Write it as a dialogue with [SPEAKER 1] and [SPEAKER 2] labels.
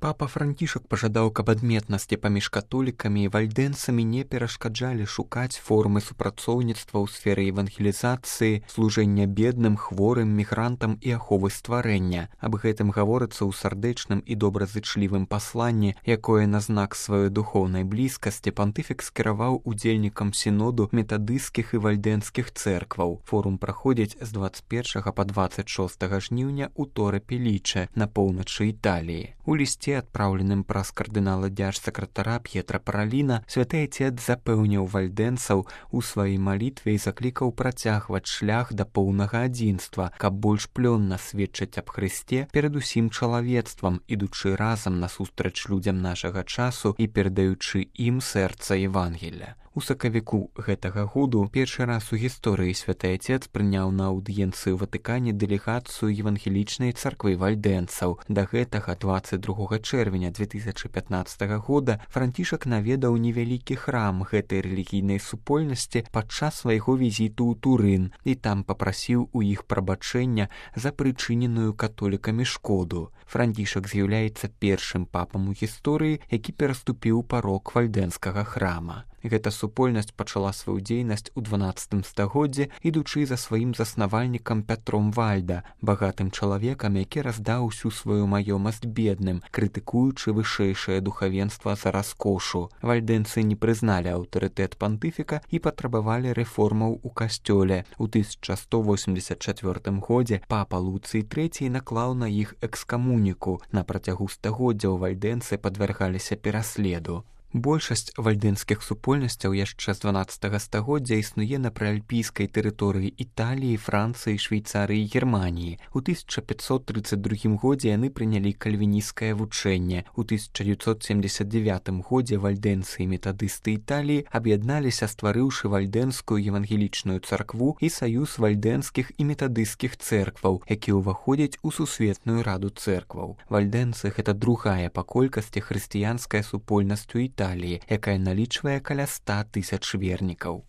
[SPEAKER 1] Папа Францішак пажадаў, каб адметнасці паміж католікамі і вальдэнцамі не перашкаджалі шукаць формы супрацоўніцтва ў сферы евангелізацыі, служэння бедным, хворым, мігрантам і аховы стварэння. Аб гэтым гаворыцца ў сардэчным і добразычлівым пасланні, якое на знак сваёй духоўнай блізкасці пантыфік скіраваў удзельнікам сіноду метадысцкіх і вальдэнцкіх цэркваў. Форум праходзіць з 21 па 26 жніўня ў Торе-Пеліче на поўначы Італіі. У лісце, адпраўленым праз кардынала дзяржсакратара П'етра Параліна, святы Айцец запэўніў вальдэнцаў у сваёй малітве і заклікаў працягваць шлях да поўнага адзінства, каб больш плённа сведчыць аб Хрысце перад усім чалавецтвам, ідучы разам насустрач людзям нашага часу і перадаючы ім сэрца Евангелля. У сакавіку гэтага году першы раз у гісторыі святы Айцец прыняў на аўдыенцыі ў Ватыкане дэлегацыю евангелічнай царквы вальдэнцаў. Да гэтага 22 чэрвеня 2015 года Францішак наведаў невялікі храм гэтай рэлігійнай супольнасці падчас свайго візіту ў Турын і там папрасіў у іх прабачэння за прычыненую католікамі шкоду. Францішак з'яўляецца першым папам у гісторыі, які пераступіў парог вальдэнскага храма. Гэта супольнасць пачала сваю дзейнасць у 12 стагоддзі, ідучы за сваім заснавальнікам Пятром Вальда, багатым чалавекам, які раздаў усю сваю маёмасць бедным, крытыкуючы вышэйшае духавенства за раскошу. Вальдэнцы не прызналі аўтарытэт пантыфіка і патрабавалі рэформаў у касцёле. У 1184 годзе папа Луцый III наклаў на іх экскамуніку. На працягу стагоддзяў вальдэнцы падвяргаліся пераследу. Большасць вальдэнскіх супольнасцяў яшчэ з 12 стагоддзя існуе на прыальпійскай тэрыторыі Італіі, Францыі, Швейцарыі і Германіі. У 1532 годзе яны прынялі кальвінісцкае вучэнне. У 1979 годзе вальдэнцы і метадысты Італіі аб'ядналіся, стварыўшы вальдэнскую евангелічную царкву і саюз вальдэнскіх і метадысцкіх цэркваў, які ўваходзяць у сусветную раду цэркваў. Вальдэнцы – гэта другая па колькасці хрысціянская супольнасць у Італіі, якая налічвае каля 100 000 вернікаў.